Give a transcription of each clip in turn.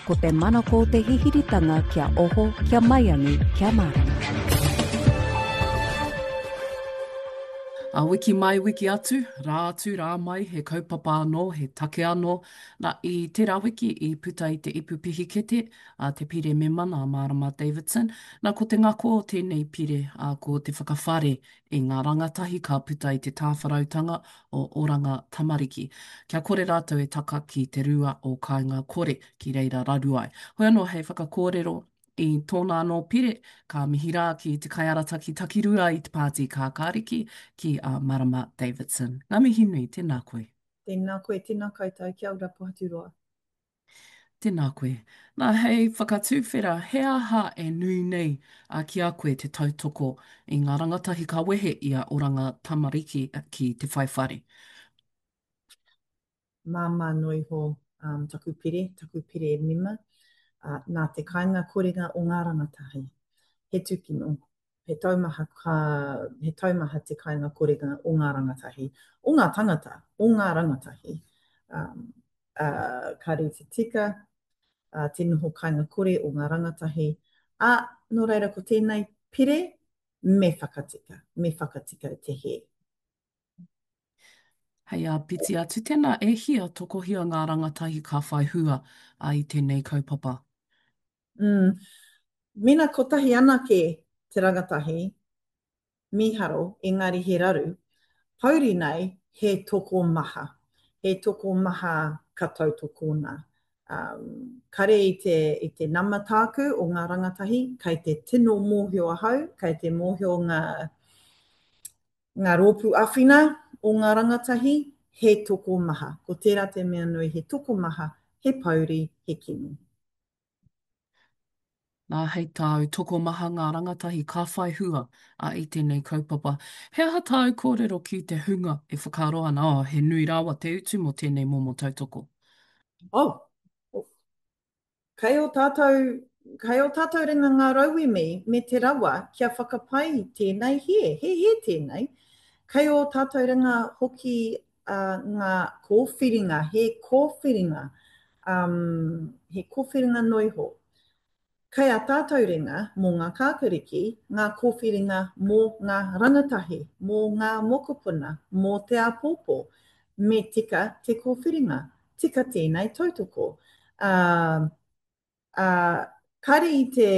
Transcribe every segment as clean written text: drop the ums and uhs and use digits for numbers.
Ko te manako o te hihiritanga kia oho, kia maiangi, kia mārama. A wiki mai, wiki atu, rā atu, rā mai, he kaupapa anō, he take anō. Na, i tērā wiki i puta i te ipu pihikete a te pire mema nā Marama Davidson. Na, ko te ngako o tēnei pire, ā, ko te whakawhare i ngā rangatahi ka puta i te tāwharautanga o Oranga Tamariki. Kia kore rātou e taka ki te rua o Kāinga Kore, ki reira raru ai. Hoi anō hei whakakōrero i tōna anō pire, ka mihi rā ki te kaiarataki takirua i te Pāti Kākāriki, ki a Marama Davidson. Ngā mihi nui, tēnā koe. Tēnā koe, tēnā koutou, kia ora Pohaturoa. Tēnā koe. Nā, hei whakatuwhera, he aha e nui nei ki a koe te tautoko i ngā rangatahi ka wehe i a Oranga Tamariki ki te whai whare? Māmā noa iho taku pire, taku pire mema, nā te kainga korenga o ngā rangatahi. He tūkino, he taumaha ka, he taumaha te kainga korenga o ngā rangatahi, o ngā tangata, o ngā rangatahi. Um, ā, kāre i te tika, ā, te noho kāinga kore o ngā rangatahi, ā, nō reira ko tēnei pire me whakatika, me whakatika te hē. Hei āpiti atu, tēnā e hia tokohia ngā rangatahi ka whai hua i tēnei kaupapa? Mm. Mena kotahi anake te rangatahi, Mīharo, engari he raru. Pouri nei, he tokomaha. He tokomaha ka tautokona. Um, kare i te, i te nama tāku o ngā rangatahi, kei te tino mōhio ahau, kei te mōhio ngā, ngā rōpū awhina o ngā rangatahi, he tokomaha. Ko tērā te mea nui, he tokomaha, he pouri, he kino. Nā, hei tāu, tokomaha ngā rangatahi ka whai hua i tēnei kaupapa. He aha tāu kōrero ki te hunga e whakaaro ana, oh, he nui rawa te utu mō tēnei momo tautoko? Oh, kei ō tātou, kei ō tātou ringa ngā rauemi me te rawa kia whakapai tēnei hē, he hē tēnei. Kei ō tātou ringa hoki ngā kōwhiringa, he kōwhiringa, um, he kōwhiringa noa iho. Kei a tātou ringa mō ngā kākariki, ngā kōwhiringa mō ngā rangatahi, mō ngā mokopuna, mō te āpōpō. Me tika te kōwhiringa, tika tēnei tautoko. Uh, uh, kare i te,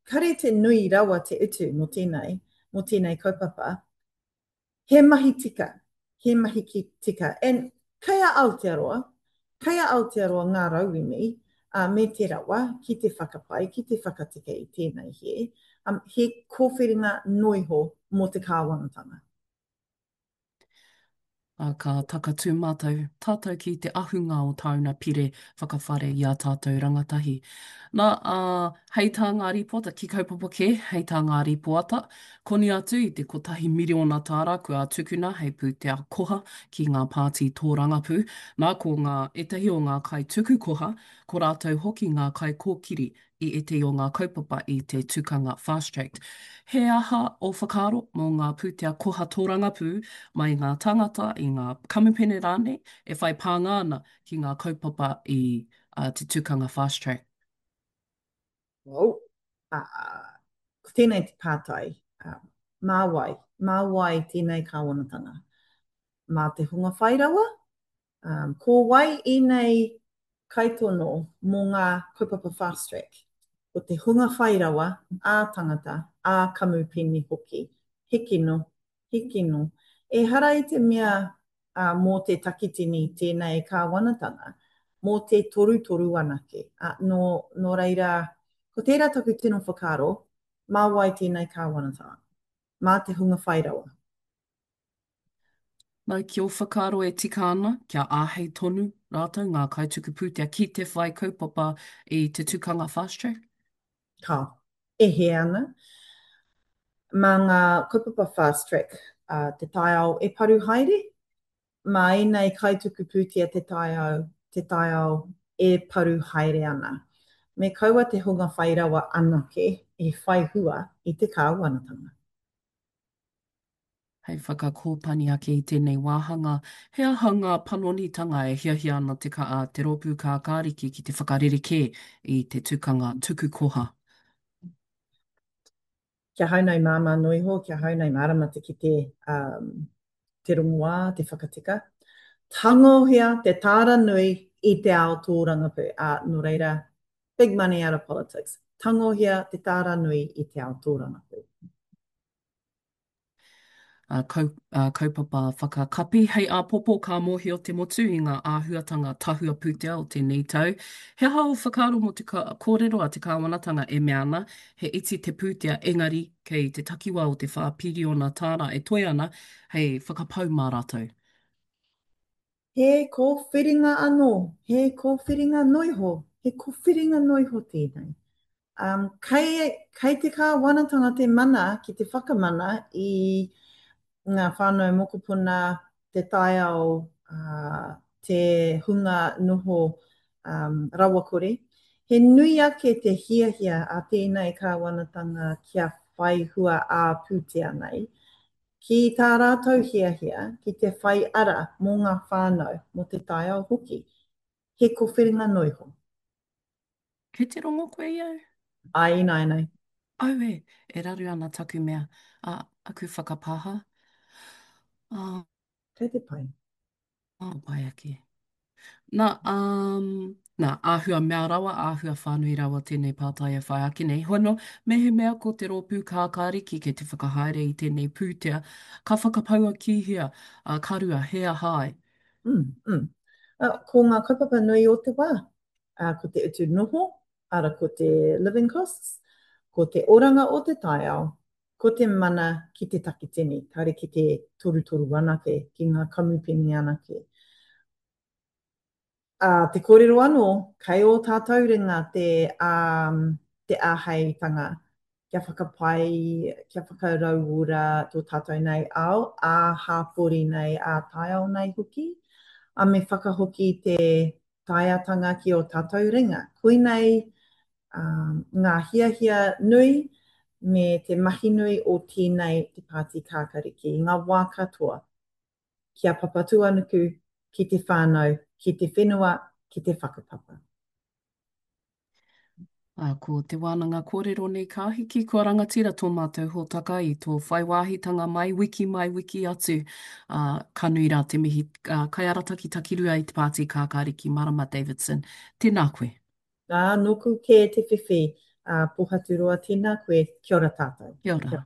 kare i te nui rawa te utu mō tēnei, mō tēnei kaupapa, He mahi tika, he mahi ki tika. And kei a Aotearoa, kei a Aotearoa ngā rauemi uh, me te rawa ki te whakapai, ki te whakatika i tēnei hē. Um, he kōwhiringa noiho mō te kāwanatanga. Ā, ka takatū mātou, tātou ki te ahunga o tāuna pire whakawhare i ā tātou rangatahi. Nā, ā, hei tā ngā rīpoata, ki kaupapa kē, hei tā ngā rīpoata, Koni atu i te kotahi miriona tāra kua tukuna hei pūtea koha ki ngā pāti tōrangapū, nā ko ngā ētahi o ngā kaituku koha, ko rātou hoki ngā kaikōkiri i ētahi o ngā kaupapa i te tukanga Fast Track. He aha ō whakaaro mō ngā pūtea koha tōrangapū mai i ngā tāngata, i ngā kamupene rānei e whai pānga ana ki ngā kaupapa i te tukanga Fast Track? Oh, ā, ko tēnei te pātai, ā, mā wai? Mā wai tēnei kāwanatanga? Mā te hunga whai rawa? Ā, ko wai ēnei kaitono mō ngā kaupapa fast track? Ko te hunga whai rawa, ā-tangata, ā-kamupene hoki. He kino, he kino. Ehara i te mea ā, mō te takitini tēnei kāwanatanga, mō te torutoru anake. Ā, nō, nō reira, ko tērā taku tino whakaaro, mā wai tēnei kāwanatanga? Mā te hunga whai rawa. Nā, ki ō whakaaro e tika ana kia āhei tonu rātou ngā kaituku pūtea ki te whai kaupapa i te tukanga fast track? Ka. E hē ana. Mā ngā kaupapa fast track te taiao e paru haere, mā ēnei kaituku pūtea te taiao, te taiao e paru haere ana. Me kaua te hunga whai rawa anake e whai hua i te kāwanatanga. Hei whakakōpani ake i tēnei wāhanga, he aha ngā panonitanga e hiahia ana te ka, te Rōpū Kākāriki ki te whakarerekē i te tukanga tuku koha? Kia hau nei māmā noa iho, kia hau nei mārama te kite um, te rongoā, te whakatika. Tangohia te tāra nui i te ao tōrangapū. Ā, nō reira, big money out of politics. Tangohia te tāra nui i te ao tōrangapū. Kau, kaupapa whakakapi. Hei āpōpō ka mōhio te motu i ngā āhuatanga tahua pūtea o tēnei tau. He aha ō whakaaro mō te kōrero a te kāwanatanga e mea ana he iti te pūtea engari kei te takiwā o te whā piriona tāra e toe ana hei whakapau mā rātou? He kōwhiringa anō, he kōwhiringa noiho, he kōwhiringa noiho tēnei. Um, kei, kei te kāwanatanga te mana ki te whakamana i ngā whānau mokopuna, te taiao, uh, te hunga noho um, rawakore. He nui ake te hiahia a tēnei kāwanatanga kia whai hua ā-pūtea nei. Ki tā rātou hiahia ki te whai ara mō ngā whānau, mō te taiao hoki. He kowhiringa noiho. Kei te rongo koe i au? Āe ināianei. Auē, e raru ana taku mea, ā, aku whakapāha. Ā. Kei te pai. Ā, pai ake. Nā, um, nā, āhua mea rawa, āhua whānui rawa tēnei pātai e whai ake nei. Hoi anō, mehemea ko te rōpū kākāriki kei te whakahaere i tēnei pūtea, ka whakapaua ki hea, ā, ka rua, he aha ai? Mm, mm. Uh, ko ngā kaupapa nui o te wā, uh, ko te utu noho, ara ko te living costs, ko te oranga o te taiao, ko te mana ki te takitini, kāre ki te torutoru anake, ki ngā kamupene anake. Ā, te kōrero anō, kei ō tātou ringa te, ā, te āheitanga kia whakapai, kia whakarauora tō tātou nei ao, ā-hāpori nei, ā-taiao nei hoki, ā, me whakahoki te taeatanga ki ō tātou ringa. Koinei, ā, ngā hiahia nui me te mahi nui o tēnei te Pāti Kākariki i ngā wā katoa, ki a Papatūānuku, ki te whānau, ki te whenua, ki te whakapapa. Ā, ko te wānanga kōrero nei ka hiki, kua rangatira tō mātou hōtaka i tō whai wāhitanga mai, wiki mai, wiki atu. Ā, ka nui rā te mihi, ā, kaiarataki takirua i te Pāti Kākāriki Marama Davidson. Tēnā koe. Ā, nōku kē te whiwhi, ā, Pōhaturoa, tēnā koe, kia ora tātou. Kia ora.